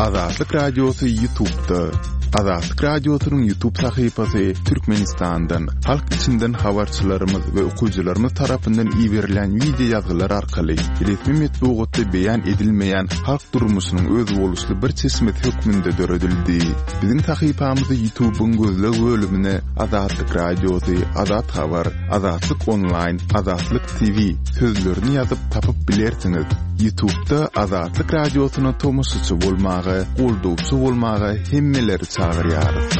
Azatlyk Radiosy Ýutubda. Azatlyk Radiosynyň Ýutub sahypasy Türkmenistandan, halk içinden habarçylarymyz we okyjylarymyz tarapyndan iberilen wideo ýazgylar arkaly resmi metbugatda beýan edilmeýän halk durmuşynyň özboluşly bir çeşmesi hökmünde döredildi. Biziň sahypamyzy Ýutubyň gözleg bölümine Azatlyk Radiosy, Azat Habar, Azatlyk Onlaýn, Azatlyk TV sözlerini ýazyp tapyp bilersiňiz. Ýutubda Azatlyk Radiosyna tomaşaçy bolmaga, goldawçy bolmaga hemmeleri çagyrýarys.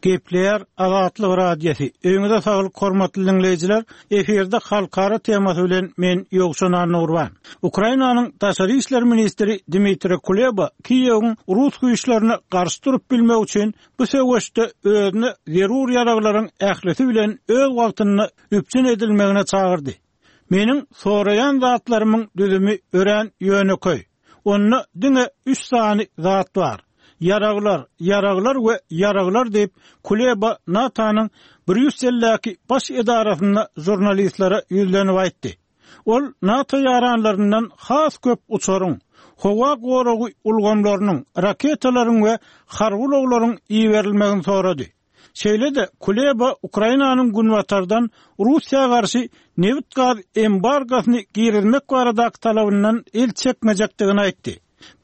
Gepleýär Azatlyk Radiosy. Öýüňize saglyk hormatly diňleýjiler. Efirde halkara temasy bilen men Ýowşan Annagurban. Ukrainanyň daşary işler ministri Dmitriý Kuleba Kiýewiň rus güýçlerine garşy durup bilmegi üçin Bu söweşde özüne zerur ýaraglaryň ählisi bilen öz wagtynda üpjün edilmegine çagyrdy. Meniň soraýan zatlarymyň düzümi örän ýönekeý. Onda diňe üç sany zat bar. Ýaraglar, ýaraglar we ýaraglar diýip, Kuleba NATO-nyň Brýusseldäki baş edarasynda žurnalistlere ýüzlenip aýtdy. Ol NATO ýaranlaryndan has köp uçaryň, howa goragy ulgamlarynyň, raketalaryň we harby ulaglaryň iberilmegini sorady. Şeýle-de, Kuleba Ukrainanyň günbatardan Russiýa garşy nebit-gaz embargosyny girizmek baradaky talabyndan el çekmejekdigini aýtdy.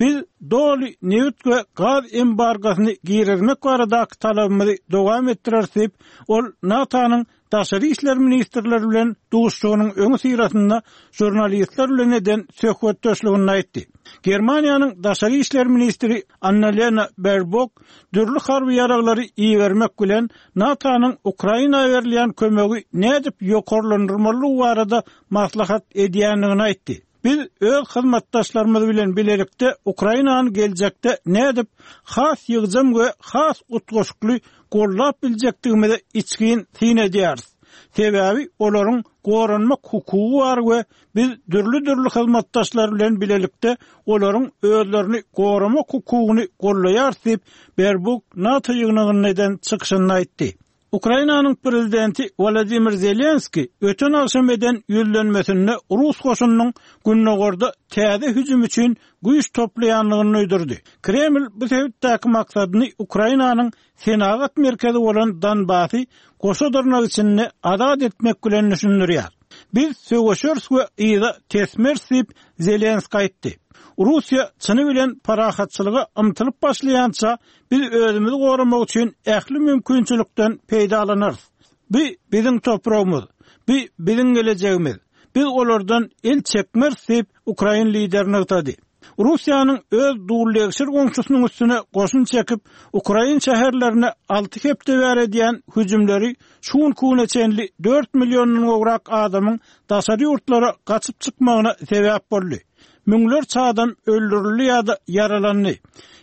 Biz doly nebit we gaz embargosyny girizmek baradaky talabymyzy dowam etdireris diýip, ol NATO-nyň daşary işler ministrleri bilen duşuşygynyň öňüsyrasynda žurnalistler bilen eden söhbetdeşliginde aýtdy. Germaniýanyň daşary işler ministri Annalena Berbok dürli harby ýaraglary ibermek bilen NATO-nyň Ukraina berilýän kömegi nädip ýokarlandyrmalydygy barada maslahat edýändigini aýtdy. Biz öz hyzmatdaşlarymyz bilen bilelikde Ukrainany geljekde nädip has ýygjam we has utgaşykly goldap biljekdigimize içgin syn edýäris. Sebäbi olaryň goranmak hukugy bar we biz dürli-dürli hyzmatdaşlar bilen bilelikde olaryň özlerini goramak hukugyny goldaýarys diýip, Berbuk NATO ýygnagynda eden çykyşynda aýtdy. Ukrainanyň prezidenti Wolodymyr Zelenskiý öten agşam eden ýüzlenmesinde rus goşunynyň gündogarda täze hüjüm üçin güýç toplaýandygyny duýdurdy. Kreml bu sebitdäki maksadyny Ukrainanyň senagat merkezi bolan Donbasy goşa dyrnak içinde azat etmek bilen düşündirýär. Biz söweşeris we yza tesmeris diýip, Zelenskiý aýtdy. Russiýa çyny bilen parahatçylyga ymtylyp başlaýança, Biz özümizi goramak üçin ähli mümkinçilikden peýdalanarys. Bu biziň topragymyz. Bu biziň gelejegimiz. Biz olardan el çekmeris diýip, ukrain lideri nygtady. Russiýanyň öz dullegşir goňşusynyň üstüne goşun çekip, ukrain şäherlerine alty hepde bäri edýän hüjümleri şu günki güne çenli dört milliondan gowrak adamyň daşary ýurtlara gaçyp çykmagyna sebäp boldy. Müňlerçe adam öldürildi ýa-da ýaralandy.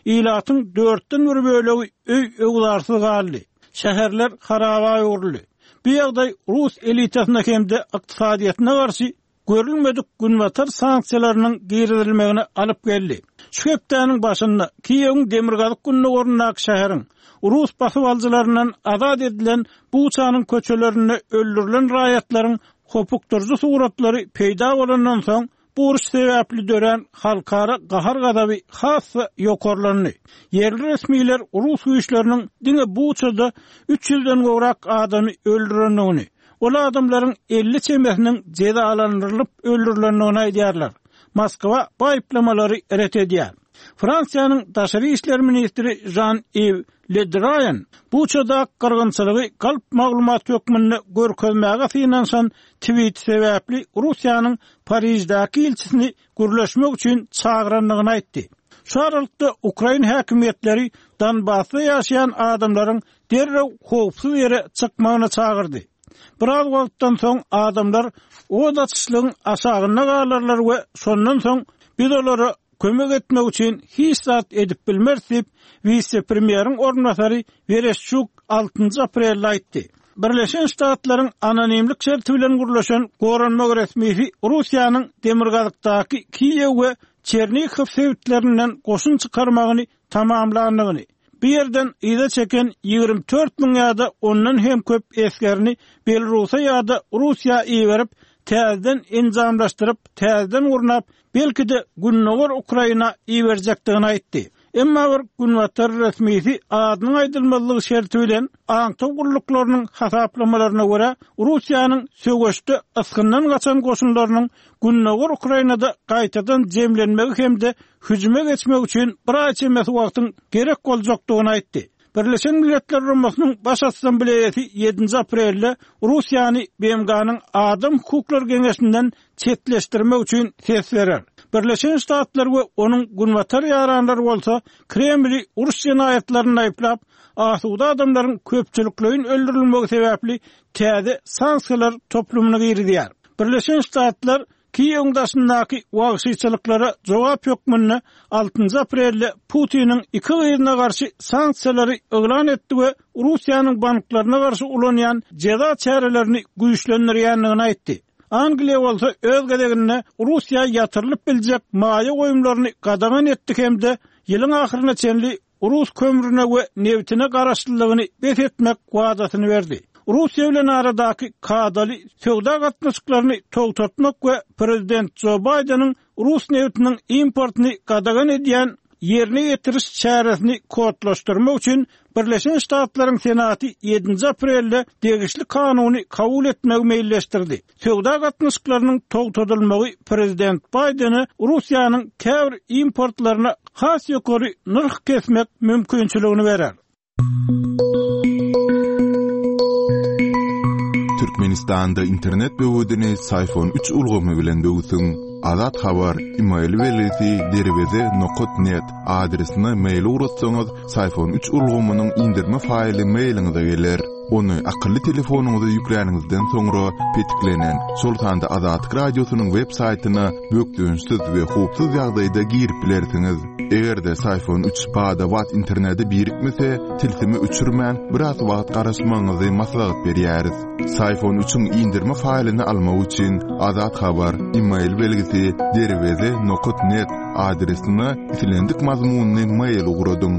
Ilatyň dörtden bir bölegi öý-öwzarsyz galdy. Şäherler haraba öwrüldi. Bu ýagdaý rus elitasyna hem-de ykdysadyýetine garşy görülmedik günbatar sanksiýalarynyň girizilmegine alyp geldi. Şu hepdäniň başynda Kiýewiň demirgazyk-gündogaryndaky şäheriň rus basybalyjylaryndan azat edilen Buçanyň köçelerinde öldürilen raýatlaryň hopukdyryjy suratlary peýda bolandan soň, Bu uruş sebäpli dörän halkara gahar-gazaby has-da ýokarlandy. Ýerli resmiler rus güýçleriniň diňe Buçada üç ýüzden gowrak adamy öldürendigini, ol adamlaryň 50 çemesiniň jezalandyrylyp öldürilendigini aýdýarlar. Moskwa bu aýyplamalary ret edýär. Fransiýanyň daşary işler ministri Žan-Iw Le Drian Buçadaky gyrgynçylygy galp maglumat hökmünde görkezmäge synanyşan tweeti sebäpli Russiýanyň Pariždäki ilçisini gürleşmek üçin çagyrandygyny aýtdy. Şu aralykda, ukrain häkimiýetleri Donbasda ýaşaýan adamlaryň derrew howpsuz ýere çykmagyna çagyrdy. Biraz wagtdan soň adamlar ot açyşlygyň aşagynda galarlar we şondan soň biz olara kömek etmek üçin hiç zat edip bilmeris diýip, wise-premýeriň orunbasary Wereşçuk altynjy aprelde aýtdy. Birleşen Ştatlaryň anonimlik şerti bilen gürleşen goranmak resmisi Russiýanyň demirgazykdaky Kiýew we Çernihow sebitlerinden goşun çykarmagyny tamamlandygyny, bu ýerden yza çeken 24 müň ýa-da ondan hem köp esgerini Belarusa ýa-da Russiýa iberip, täzeden enjamlaşdyryp, täzeden gurnap, belki-de gündogar Ukraina iberjekdigini aýtdy. Emma bir günbatar resmisi adynyň aýdylmazlygy şerti bilen aňtaw gulluklarynyň hasaplamalaryna görä, Russiýanyň söweşde ysgyndan gaçan goşunlarynyň gündogar Ukrainada gaýtadan jemlenmegi hem-de hüjüme geçmegi üçin bir aý çemesi wagtyň gerek boljakdygyny aýtdy. Birleşen Milletler Guramasynyň Baş Assambleýasy ýedinji aprelde Russiýany BMG-niň Adam hukuklary geňeşinden çetleşdirmek üçin ses berer. Birleşen Ştatlar we onuň günbatar ýaranlary bolsa Kremli uruş jenaýatlarynda aýyplap, asuda adamlaryň köpçülikleýin öldürilmegi sebäpli täze sanksiýalar toplumyny girizýär. Birleşen Ştatlar Kiýewiň daşyndaky wagşyçylyklara jogap hökmünde altynjy aprelde Putiniň iki gyzyna garşy sanksiýalary yglan etdi we Russiýanyň banklaryna garşy ulanýan jeza çärelerini güýçlendirýändigini aýtdy. Angliýa bolsa öz gezeginde Russiýa ýatyrylyp biljek maýa goýumlaryny gadagan etdi hem-de ýylyň ahyryna çenli rus kömrüne we nebtine garaşlylygyny bes etmek wadasyny berdi. Russiýa bilen aradaky kadaly söwda gatnaşyklaryny togtatmak we prezident Jo Baýdeniň rus nebtiniň importyny gadagan edýän ýerine ýetiriş çäresini kodlaşdyrmak üçin Birleşen Ştatlaryň Senaty ýedinji aprelde degişli kanuny kabul etmegi meýilleşdirdi. Söwda gatnaşyklarynyň togtadylmagy prezident Baýdene Russiýanyň käbir importlaryna has ýokary nyrh kesmek mümkinçiligini berer. Türkmenistanda internet böwedini Syfon üç ulgamy bilen böwsüň. Azat Habar, email belgisi derweze nokat net adresine mail ugratsaňyz, Syfon üç ulgamynyň indirme faýly mailiňize geler. Ony akylly telefonyňyza ýükläniňizden soňra petiklenen, şol sanda Azatlyk Radiosynyň web saýtyna bökdençsiz we howpsuz ýagdaýda girip bilersiňiz. Eger-de Syfon üç bada-bat internete birikmese, tilsimi öçürmän, biraz wagt garaşmagyňyzy maslahat berýäris. Syfon üçiň indirme faýlyny almak üçin Azat Habar, email belgisi, derweze nokat net adresine islendik mazmunly mail ugradyň.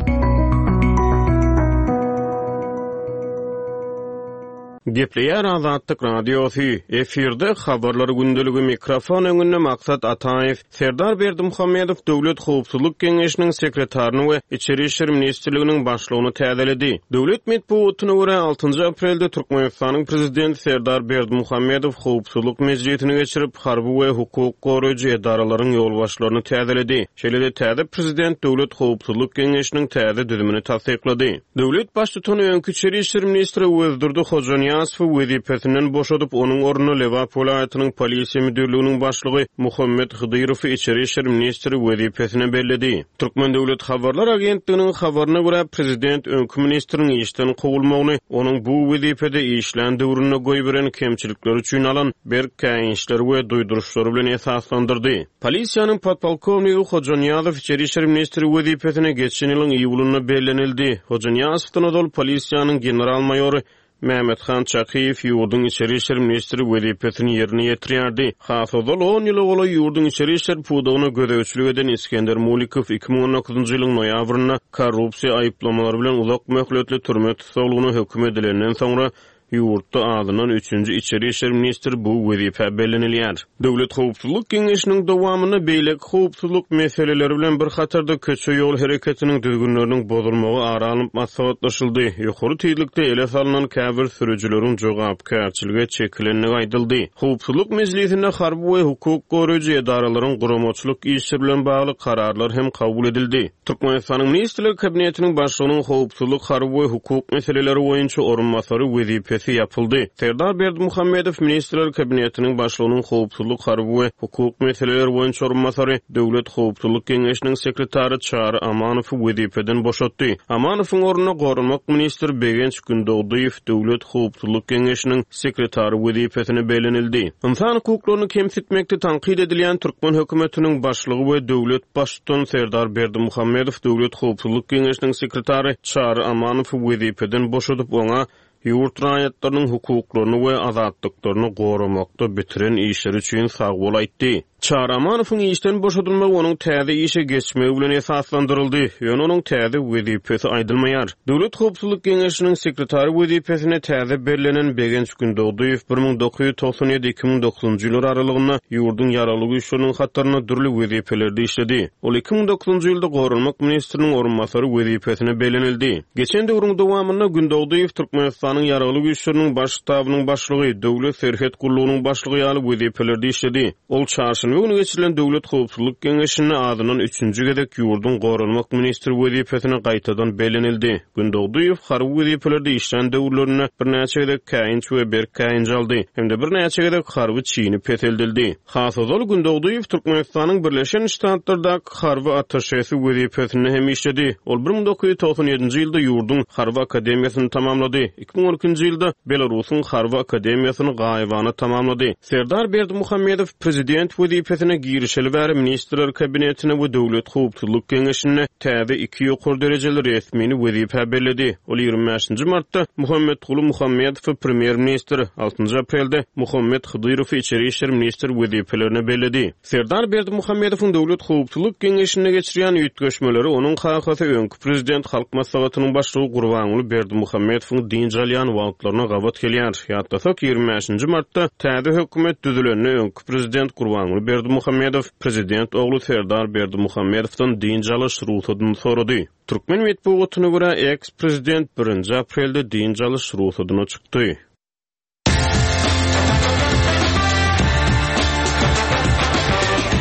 Gepleýär Azatlyk Radiosy, efirde Habarlar gündeligi, mikrofon öňünde Maksat Ataýew. Serdar Berdimuhamedow Döwlet howpsuzlyk geňeşiniň sekretaryny we Içeri işler ministrliginiň başlygyny täzeledi. Döwlet metbugatyna görä, altynjy aprelde Türkmenistanyň Prezidenti Serdar Berdimuhamedow howpsuzlyk mejlisini geçirip, harby we hukuk goraýjy edaralaryň ýolbaşçylaryny täzeledi. Şeýle-de täze Prezident Döwlet howpsuzlyk geňeşiniň täze düzümini tassyklady. Döwlet Baştutany öňki içeri işler ministri Öwezdurdy Hojanyýazowy wezipesinden boşadyp, onuň ornuna Lebap welaýatynyň polisiýa müdirliginiň başlygy Muhammet Hydyrowy içeri işler ministri wezipesine belledi. Türkmen döwlet habarlar agentliginiň habaryna görä, prezident öňki ministriň işden kowulmagyny onuň bu wezipede işlän döwründe goýberen kemçilikleri üçin alan berk käýinçleri we duýduryşlary bilen esaslandyrdy. Polisiýanyň podpolkownigi Hojanyýazow içeri işler ministri wezipesine geçen ýylyň iýulynda bellenildi. Hojanyýazowdan ozal polisiýanyň general-maýory Mämmethan Çakyýew ýurduň içeri işler ministri wezipesini ýerine ýetirýärdi. Has ozal on ýyla golaý ýurduň içeri işler pudagyna gözegçilik eden Isgender Mulikow 2019-njy ýylyň noýabrynda korrupsiýa aýyplamalary bilen uzak möhletli türme tussaglygyna höküm edilenden soňra Ýurtda azyndan üçünji içeri işler ministri bu wezipä bellenilýär. Döwlet howpsuzlyk geňeşiniň dowamynda beýleki howpsuzlyk meseleleri bilen bir hatarda köçe-ýol hereketiniň düzgünleriniň bozulmagy ara alnyp maslahatlaşyldy, ýokary tizlikde ele salnan käbir sürüjileriň jogapkärçilige çekilendigi aýdyldy. Howpsuzlyk mejlisinde harby we hukuk goraýjy edaralaryň guramaçylyk işleri bilen bagly kararlar hem kabul edildi. Türkmenistanyň Ministrler Kabinetiniň Başlygynyň howpsuzlyk, harby we hukuk meseleleri boýunça orunbasary wezipesi ýapyldy. Serdar Berdimuhamedow Ministrler Kabinetiniň Başlygynyň howpsuzlyk, harby we hukuk meseleleri boýunça orunbasary, Döwlet howpsuzlyk geňeşiniň sekretary Çary Amanowy wezipeden boşatdy. Amanowyň ornuna goranmak ministri Begenç Gündogdyýew Döwlet howpsuzlyk geňeşiniň sekretary wezipesine bellenildi. Ynsan hukuklaryny kemsitmekde tankyt edilýän türkmen hökümetiniň başlygy we döwlet Baştutany Serdar Berdimuhamedow Döwlet howpsuzlyk geňeşiniň sekretary Çary Amanowy wezipeden boşadyp, oňa ýurt raýatlarynyň hukuklaryny we azatlyklaryny goramakda bitiren işleri üçin sagbol aýtdy. Çary Amanowyň işden boşadylmagy onuň täze işe geçmegi bilen esaslandyryldy, ýöne onuň täze wezipesi aýdylmaýar. Döwlet howpsuzlyk geňeşiniň sekretary wezipesine täze bellenen Begenç Gündogdyýew 1997, 2009-njy ýyllar aralygynda ýurduň Ýaragly Güýçleriniň hatarynda dürli wezipelerde işledi. Ol 2009-njy ýylda goranmak ministriniň orunbasary wezipesine bellenildi. Geçen döwrüň dowamynda Gündogdyýew Türkmenistanyň Ýaragly Güýçleriniň Baş ştabynyň başlygy, Döwlet serhet gullugynyň başlygy ýaly wezipelerde işledi. Ol çarşenbe güni geçirilen Döwlet howpsuzlyk geňeşinde azyndan üçünji gezek ýurduň goranmak ministri wezipesine gaýtadan bellenildi. Gündogdyýew harby wezipelerde işlän döwürlerinde birnäçe gezek käýinç we berk käýinç aldy hem-de birnäçe gezek harby çini peseldildi. Has ozal Gündogdyýew Türkmenistanyň Birleşen Ştatlardaky harby attaşesi wezipesinde hem işledi. Ol 1997-nji ýylda ýurduň Harby akademiýasyny tamamlady. 2012-nji ýylda Belarusyň Harby akademiýasyny gaýybana tamamlady. Serdar Berdimuhamedow prezident wezipesine girişeli bäri Ministrler Kabinetine we Döwlet howpsuzlyk geňeşine täze iki ýokary derejeli resmini wezipä belledi. Ol 25-nji martda Muhammetguly Muhammedowy premýer-ministr, altynjy aprelde Muhammet Hydyrowy içeri işler ministr wezipelerine belledi. Serdar Berdimuhamedowyň Döwlet howpsuzlyk geňeşinde geçirýän üýtgeşmeleri onuň kakasy öňki prezident Halk Maslahatynyň başlygy Gurbanguly Berdimuhamedowyň dynç alýan wagtlaryna gabat gelýär. Ýatlasak, 25-nji martda täze hökümet düzülende öňki prezident Gurbanguly Berdimuhamedow prezident ogly Serdar Berdimuhamedowdan dynç alyş rugsadyny sorady. Türkmen metbugatyna görä, eks-prezident birinji aprelde dynç alyş rugsadyna çykdy.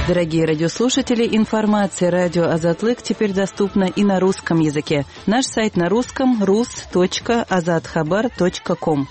Дорогие радиослушатели, информация радио Азатлык теперь доступна и на русском языке. Наш сайт на русском rus.azathabar.com.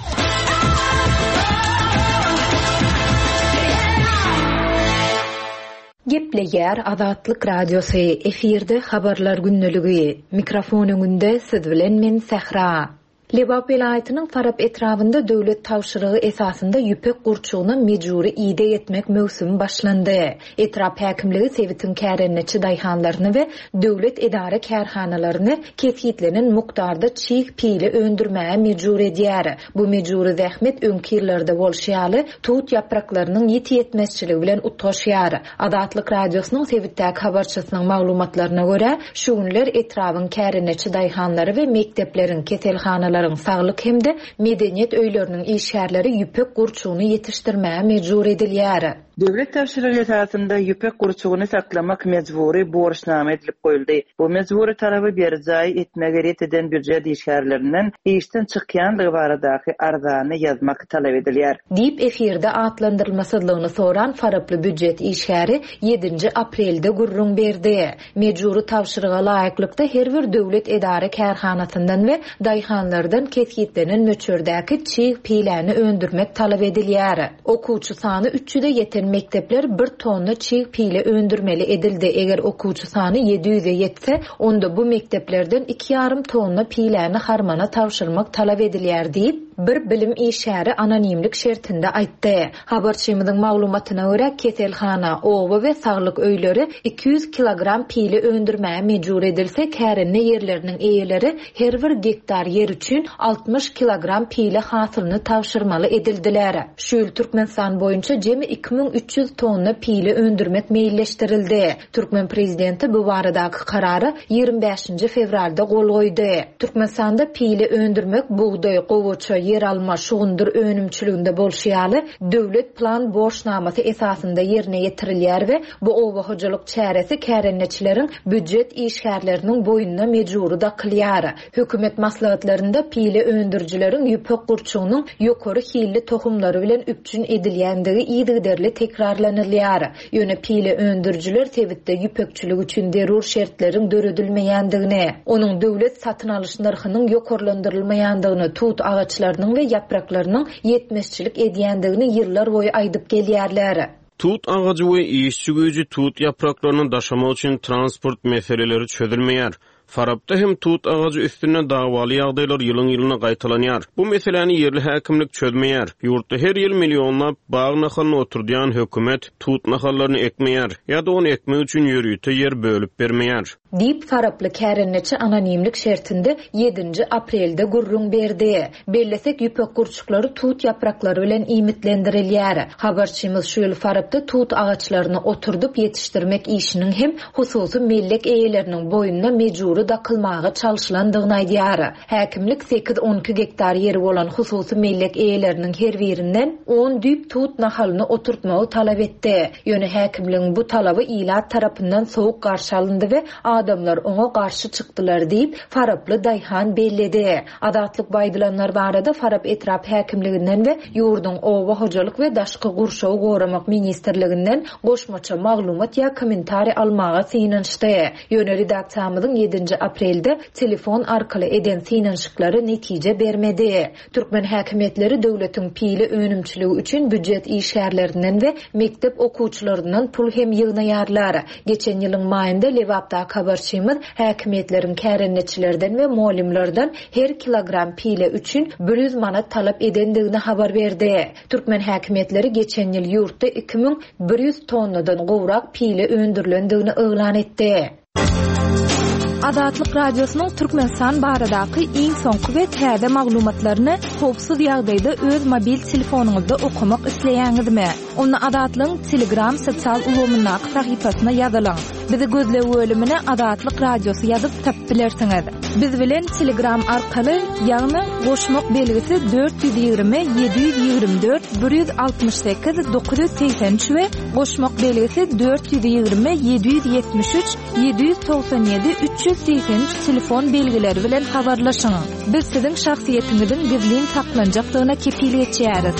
Gepleýär Azatlyk Radiosy, efirde Habarlar gündeligi. Mikrofon öňünde siz bilen men Sähra. Lebap welaýatynyň Farap etrabynda döwlet tabşyrygy esasynda ýüpek gurçugyna mejbury ideg etmek möwsümi başlandy. Etrap häkimligi sebitiň kärendeçi daýhanlaryny we döwlet edara-kärhanalaryny kesgitlenen mukdarda çig pile öndürmäge mejbur edýär. Bu mejbury zähmet öňki ýyllarda bolşy ýaly, tut ýapraklarynyň ýiti ýetmezçiligi bilen utgaşýar. Azatlyk Radiosynyň sebitdäki habarçysynyň maglumatlaryna görä, şu günler etrabyň kärendeçi daýhanlary we mekdepleriň, keselhanalaryň, saglyk hem-de medeniýet öýleriniň işgärleri ýüpek gurçugyny ýetişdirmäge mejbur edilýär. Döwlet tabşyrygy esasynda ýüpek gurçugyny saklamak mejbury borçnama edilip goýuldy. Bu mejbury talaby berjaý etmegi ret eden býujet işgärlerinden işden çykýandygy baradaky arzany ýazmak talap edilýär. Diýip, efirde atlandyrylmasyzlygyny soran faraply býujet işgäri ýedinji aprelde gürrüň berdi. Mejbury tabşyryga laýyklykda, her bir döwlet edara-kärhanasyndan we daýhanlardan kesgitlenen möçberdäki çig piläni öndürmek talap edilýär. Okuwçy sany üç ýüze ýeten mekdepler bir tonna çig pile öndürmeli edildi, eger okuwçy sany ýedi ýüze ýetse, onda bu mekdeplerden iki ýarym tonna piläni harmana tabşyrmak talap edilýär diýip, bir bilim işgäri anonimlik şertinde aýtdy. Habarçymyzyň maglumatyna görä, keselhana, oba we saglyk öýleri 200 kilogram pile öndürmäge mejbur edilse, kärende ýerleriniň eýeleri her bir gektar ýer üçin 60 kilogram pile hasylyny tabşyrmaly edildiler. Şu ýyl Türkmenistan boýunça jemi 2300 tonna pile öndürmek meýilleşdirildi. Türkmen prezidenti bu baradaky karara 25-nji fewralda gol goýdy. Türkmenistanda pile öndürmek bugdaý, gowaça, ýeralma, şugundyr önümçiliginde bolşy ýaly, döwlet plan borçnamasy esasynda ýerine ýetirilýär we bu oba hojalyk çäresi kärendeçileriň býujet işgärleriniň boýnuna mejbury dakylýar. Hökümet maslahatlarynda pile öndürijileriň ýüpek gurçugynyň ýokary hilli tohumlary bilen üpjün edilýändigi yzygiderli tekrarlanylýar. Ýöne pile öndürijiler sebitde ýüpekçilik üçin zerur şertleriň döredilmeýändigini, onuň döwlet satyn alyş nyrhynyň ýokarlandyrylmaýandygyny, tut agaçlarynyň we ýapraklarynyň ýetmezçilik edýändigini ýyllarboýy aýdyp gelýärler. Tut agajy we işçi güýji tut ýapraklaryny daşamak üçin transport meseleleri çözülmeýär. Farapda hem tut agajy üstünde dawaly ýagdaýlar ýylyň-ýylyna gaýtalanýar. Bu meseläni ýerli häkimlik çözmeýär. Ýurtda her ýyl millionlap bag nahalyny oturdýan hökümet tut nahallaryny ekmeýär ýa-da ony ekmek üçin ýörite ýer bölüp bermeýär. Diýip, faraply kärendeçi anonimlik şertinde ýedinji aprelde gürrüň berdi. Bellesek, ýüpek gurçuklary tut ýapraklary bilen iýmitlendirilýär. Habarçymyz şu ýyl Farapda tut agaçlaryny oturdyp ýetişdirmek işiniň hem hususy mellek eýeleriniň boýnuna mejbury dakylmaga çalşylandygyny aýdýar. Häkimlik sekiz-on iki gektar ýeri bolan hususy mellek eýeleriniň her birinden on düýp tut nahalyny oturtmagy talap etdi. Ýöne häkimligiň bu talaby ilat tarapyndan sowuk garşy alyndy we adamlar oňa garşy çykdylar diýip, faraply daýhan belledi. Azatlyk bu aýdylanlar barada Farap etrap häkimliginden we ýurduň Oba hojalyk we daşky gurşawy goramak ministrliginden goşmaça maglumat ýa kommentariý almaga synanyşdy. Ýöne redaksiýamyzyň ýedinji aprelde telefon arkaly eden synanyşyklary netije bermedi. Türkmen häkimiýetleri döwletiň pile önümçiligi üçin býujet işgärlerinden we mekdep okuwçylaryndan pul hem ýygnaýarlar. Geçen ýylyň maýynda Lebapdaky habarçymyz häkimiýetleriň kärendeçilerden we mugallymlardan her kilogram pile üçin 100 manat talap edendigini habar berdi. Türkmen häkimiýetleri geçen ýyl ýurtda 2100 tonnadan gowrak pile öndürilendigini yglan etdi. Azatlyk Radiosynyň Türkmenistan baradaky iň soňky we täze maglumatlaryny howpsuz ýagdaýda öz mobil telefonyňyzda okamak isleýäňizmi? Onda Azatlygyň Telegram sosial ulgamyndaky sahypasyna ýazylyň. Bizi gözleg bölümine Azatlyk Radiosy ýazyp tapyp bilersiňiz. Biz bilen Telegram arkaly, ýagny goşmak belgisi 420 724 168 983 we goşmak belgisi 420 773 797 383 telefon belgileri bilen habarlaşyň. Biz siziň şahsyýetiňiziň gizlin saklanjakdygyna kepil geçýäris.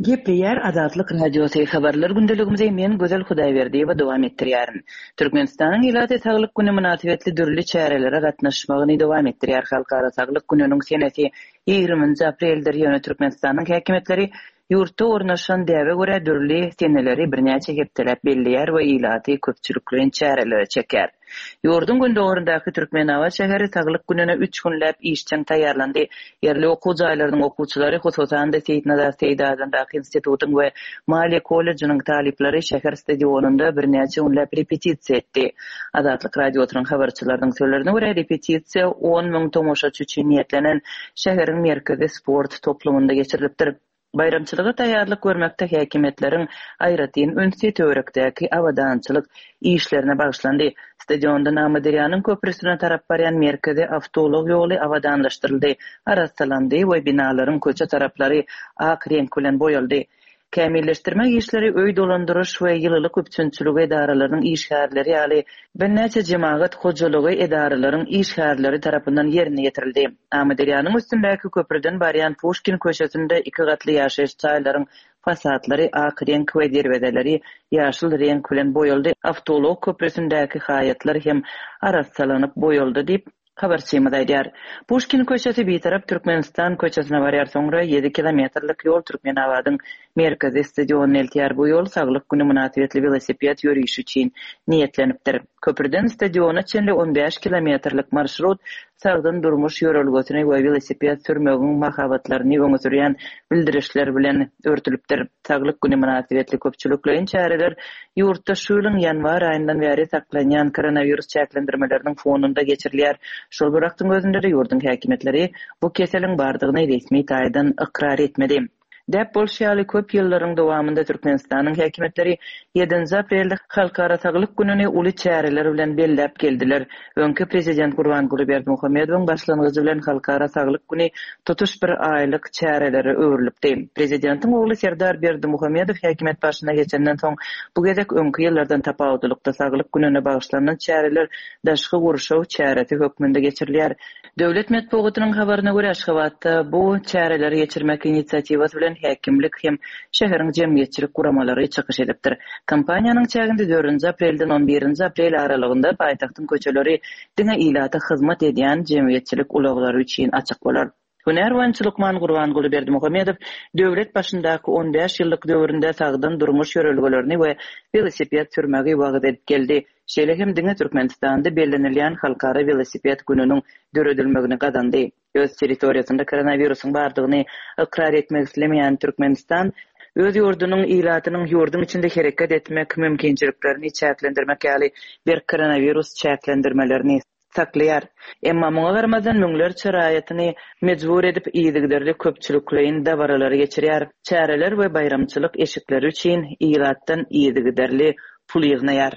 Gepleýär Azatlyk Radiosy, Habarlar gündeligimizi men Gözel Hudaýberdiýewa dowam etdirýärin. Türkmenistanyň ilaty Saglyk güni mynasybetli dürli çärelere gatnaşmagyny dowam etdirýär. Halkara saglyk gününiň senesi ýigriminji apreldir, ýöne Türkmenistanyň häkimiýetleri ýurtda ornaşan däbe görä dürli seneleri birnäçe hepdeläp belleýär we ilaty köpçülikleýin çärelere çekýär. Ýurduň gündogaryndaky Türkmenabat şäheri Saglyk gününe üç günläp işjeň taýýarlandy. Ýerli okuw jaýlarynyň okuwçylary, hususan-da, Seýitnazar Seýdi adyndaky institutyň we Maliýe kollejiniň talyplary şäher stadionynda birnäçe günläp repetisiýa etdi. Azatlyk Radiosynyň habarçylarynyň sözlerine görä, repetisiýa 10 müň tomaşaçy üçin niýetlenen şäheriň merkezi sport toplumynda geçirilipdir. Baýramçylyga taýýarlyk görmekde häkimiýetleriň aýratyn ünsi töwerekdäki abadançylyk işlerine bagyşlandy. Stadiondan Amyderýanyň köprüsine tarap barýan merkezi awtoulag ýoly abadanlaşdyryldy, arassalandy we binalaryň köçe taraplary ak reňk bilen boýaldy. Kämilleşdirmek işleri öý dolandyryş we ýylylyk üpjünçiligi edaralarynyň işgärleri ýaly birnäçe jemagat hojalygy edaralaryň işgärleri tarapyndan ýerine ýetirildi. Amyderýanyň üstündäki köprüden barýan Puşkin köçesinde iki gatly ýaşaýyş jaýlaryň fasadlary ak reňk we derwezeleri ýaşyl reňk bilen boýaldy, awtoulag köprüsindäki haýatlar hem arassalanyp boýaldy diýip, habarçymyz aýdýar. Puşkin köçesi Bitarap Türkmenistan köçesine barýar, soňra ýedi kilometrlik ýol Türkmenabadyň merkezi stadionyna eltýär. Bu ýol Saglyk güni mynasybetli welosiped ýörişi üçin niýetlenipdir. Köprüden stadiona çenli on bäş kilometrlik marşrut sagdyn durmuş ýörelgesini we welosiped sürmegiň mahabatlaryny öňe sürýän bildirişler bilen örtülipdir. Saglyk güni mynasybetli köpçülikleýin çäreler ýurtda şu ýylyň ýanwar aýyndan bäri saklanýan koronawirus çäklendirmeleriniň fonunda geçirilýär. Şol bir wagtyň özünde-de ýurduň häkimiýetleri bu keseliň bardygyny resmi taýdan ykrar etmedi. Däp bolşy ýaly, köp ýyllaryň dowamynda Türkmenistanyň häkimiýetleri ýedinji aprelde Halkara saglyk gününi uly çäreler bilen belläp geldiler. Öňki prezident Gurbanguly Berdimuhamedowyň başlangyjy bilen Halkara saglyk güni tutuş bir aýlyk çärelere öwrülipdi. Prezidentiň ogly Serdar Berdimuhamedow häkimiýet başyna geçenden soň, bu gezek öňki ýyllardan tapawutlylykda Saglyk gününe bagyşlanylan çäreler daşky gurşaw çäresi hökmünde geçirilýär. Döwlet metbugatynyň habaryna görä, Aşgabatda bu çäreleri geçirmek inisiatiwasy bilen häkimlik hem şäheriň jemgyýetçilik guramalary çykyş edipdir. Kampaniýanyň çäginde dördünji aprelden on birinji aprel aralygynda paýtagtyň köçeleri diňe ilata hyzmat edýän jemgyýetçilik ulaglary üçin açyk bolar. Hünär boýunça lukman Gurbanguly Berdimuhamedow döwlet başyndaky on bäş ýyllyk döwründe sagdyn durmuş ýörelgelerini we welosiped sürmegi wagyz edip geldi. Şeýle hem diňe Türkmenistanda bellenilýän Halkara welosiped gününiň döredilmegini gazandy. Öz territoriýasynda koronawirusyň bardygyny ykrar etmek islemeýän Türkmenistan, öz ýurdunyň ilatynyň ýurduň içinde hereket etmek mümkinçiliklerini çäklendirmek ýaly berk koronawirus çäklendirmelerini saklaýar. Emma muňa garamazdan müňlerçe raýatyny mejbur edip yzygiderli köpçülikleýin dabaralary geçirýär, çäreler we baýramçylyk eşikleri üçin ilatdan yzygiderli pul ýygnaýar.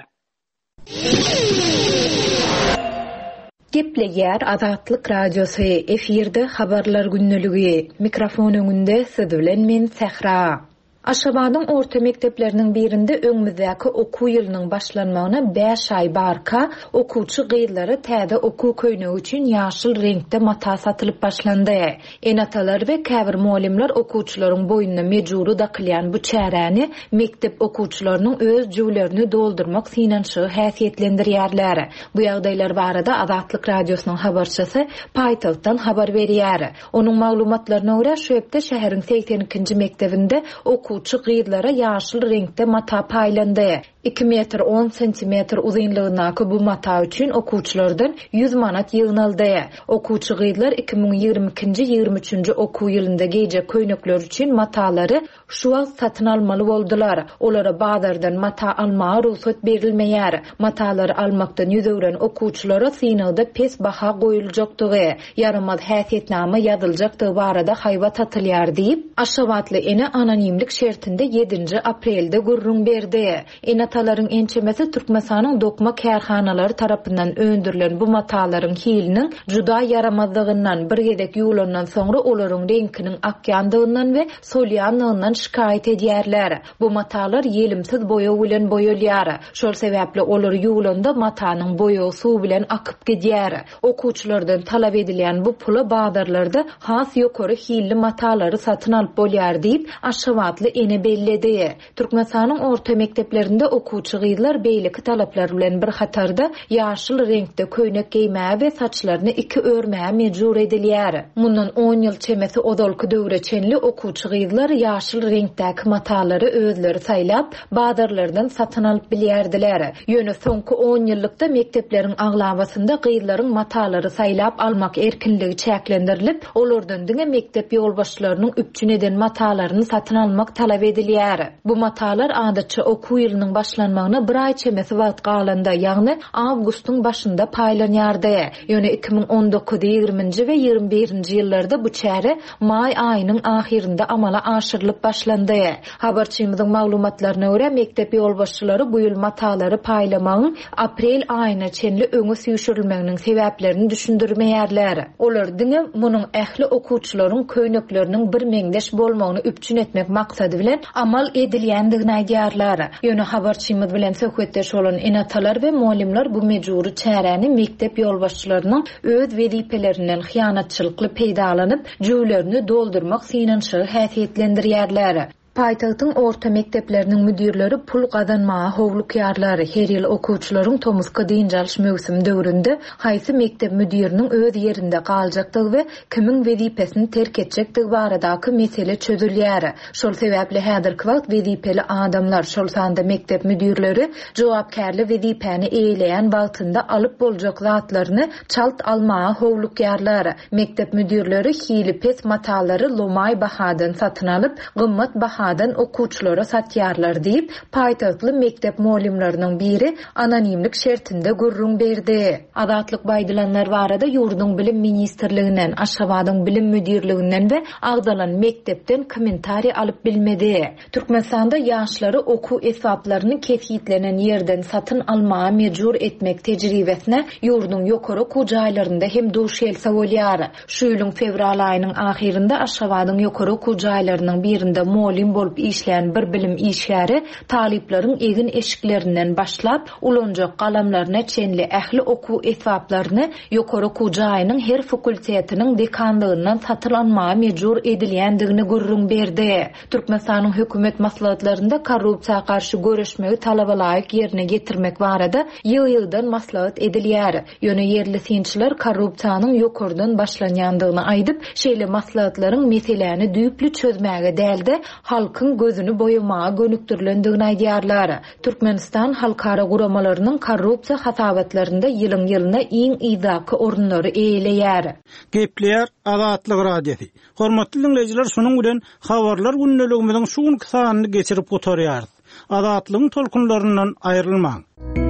Gepleýär Azatlyk Radiosy, efirde Habarlar gündeligi. Mikrofon öňünde siz bilen men Sähra. Aşgabadyň orta mekdepleriniň birinde öňümizdäki okuw ýylynyň başlanmagyna bäş aý barka, okuwçy gyzlara täze okuw köýnegi üçin ýaşyl reňkde mata satylyp başlandy. Ene-atalar we käbir mugallymlar okuwçylaryň boýnuna mejbury dakylýan bu çäräni mekdep okuwçylarynyň öz jübülerini doldurmak synanyşygy häsiýetlendirýärler. Bu ýagdaýlar barada Azatlyk Radiosynyň habarçysy paýtagtdan habar berýär. Onuň maglumatlaryna görä, şu hepde şäheriň 82-nji mekdebinde okuwçy gyzlara ýaşyl reňkde mata paýlandy. Iki metr on sentimetr uzynlygyndaky bu mata üçin okuwçylardan ýüz manat ýygnaldy. Okuwçy gyzlar 2022-nji, ýigrimi üçünji okuw ýylynda geýjek köýnekleri üçin matalary Şu wagt satyn almaly boldular. Olara bazardan mata almaga rugsat berilmeýär. Matalary almakdan ýüz öwren okuwçylara synagda pes baha goýuljakdygy, ýaramaz häsiýetnama ýazyljakdygy barada haýbat atylýar diýip, aşgabatly ene anonimlik şertinde ýedinji aprelde gürrüň berdi. Ene-atalaryň ençemesi Türkmenistanyň dokma kärhanalary tarapyndan öndürilen bu matalaryň hiliniň juda ýaramazdygyndan, bir gezek ýuwlandan soňra olaryň reňkiniň akýandygyndan we solýandygyndan şikaýat edýärler. Bu matalar ýelimsiz boýag bilen boýalýar. Şol sebäpli olar ýuwlanda matanyň boýagy suw bilen akyp gidýär. Okuwçylardan talap edilýän bu pula bazarlarda has ýokary hilli matalary satyn alyp bolýar diýip, aşgabatly ene belledi. Türkmenistanyň orta mekdeplerinde okuwçy gyzlar beýleki talaplar bilen bir hatarda ýaşyl reňkde köýnek geýmäge we saçlaryny iki örmäge mejbur edilýär. Mundan on ýyl çemesi ozalky döwre çenli okuwçy gyzlar ýaşyl reňkdäki matalary özleri saýlap, bazarlardan satyn alyp bilýärdiler. Ýöne soňky on ýyllykda mekdepleriň aglabasynda gyzlaryň matalary saýlap almak erkinligi çäklendirilip, Olardan diňe mekdep ýolbaşçylarynyň üpjün eden matalaryny satyn almak talap edilýär. Bu matalar adatça okuw ýylynyň başlanmagyna bir aý çemesi wagt galanda, ýagny awgustyň başynda paýlanýardy. Ýöne 2019, ýigriminji we ýigrimi birinji ýyllarda bu çäre maý aýynyň ahyrynda amala aşyrylyp başlandy. Habarçymyzyň maglumatlaryna görä, mekdep ýolbaşçylary bu ýyl matalary paýlamagyň aprel aýyna çenli öňe süýşürilmeginiň sebäplerini düşündirmeýärler. Olar diňe munuň ähli okuwçylaryň köýnekleriniň birmeňzeş bolmagyny üpjün etmek maksady bilen amal edilýändigini aýdýarlar. Ýöne habarçymyz bilen söhbetdeş bolan ene-atalar we mugallymlar bu mejbury çäräni mekdep ýolbaşçylarynyň öz wezipelerinden hyýanatçylykly peýdalanyp, jübülerini doldurmak synanyşygy häsiýetlendirýärler. Paýtagtyň orta mekdepleriniň müdirleri pul gazanmaga howlukýarlar. Her ýyl okuwçylaryň tomusky dynç alyş möwsümi döwründe haýsy mekdep müdiriniň öz ýerinde galjakdygy we kimiň wezipesini terk etjekdigi baradaky mesele çözülýär. Şol sebäpli häzirki wagt wezipeli adamlar, şol sanda mekdep müdirleri jogapkärli wezipäni eýeleýän wagtynda alyp boljak zatlaryny çalt almaga howlukýarlar. Mekdep müdirleri hili pes matalary lomaý bahadan satyn alyp, gymmat bahadan okuwçylara satýarlar diýip, paýtagtly mekdep mugallymlarynyň biri anonimlik şertinde gürrüň berdi. Azatlyk bu aýdylanlar barada ýurduň Bilim ministrliginden, Aşgabadyň Bilim müdirliginden we agzalan mekdepden kommentariý alyp bilmedi. Türkmenistanda ýaşlary okuw esbaplaryny kesgitlenen ýerden satyn almaga mejbur etmek tejribesine ýurduň ýokary okuw jaýlarynda hem duş gelse bolýar. Şu ýylyň fewral aýynyň ahyrynda Aşgabadyň ýokary okuw jaýlarynyň birinde mugallym. mugallym bolup işleýän bir bilim işgäri talyplaryň egin-eşiklerinden başlap, ulanjak galamlaryna çenli ähli okuw esbaplaryny ýokary okuw jaýynyň her fakultetiniň dekanlygyndan satyn almaga mejbur edilýändigini gürrüň berdi. Türkmenistanyň hökümet maslahatlarynda korrupsiýa garşy göreşmegi talabalaýyk ýerine ýetirmek barada ýygy-ýygydan maslahat edilýär. Ýöne ýerli synçylar korrupsiýanyň ýokardan başlanýandygyny aýdyp, şeýle maslahatlaryň meseläni düýpli çözmäge däl-de, halkyň gözüni boýamaga gönükdirilendigini aýdýarlar. Türkmenistan halkara guramalarynyň korrupsiýa hasabatlarynda ýylyň-ýylyna iň yzdaky orunlary eýeleýär. Gepleýär Azatlyk Radiosy. Hormatly diňleýjiler şunuň bilen Habarlar gündeligimiziň şu günki sanyny geçirip gutarýarys. Azatlygyň tolkunlaryndan aýrylmaň.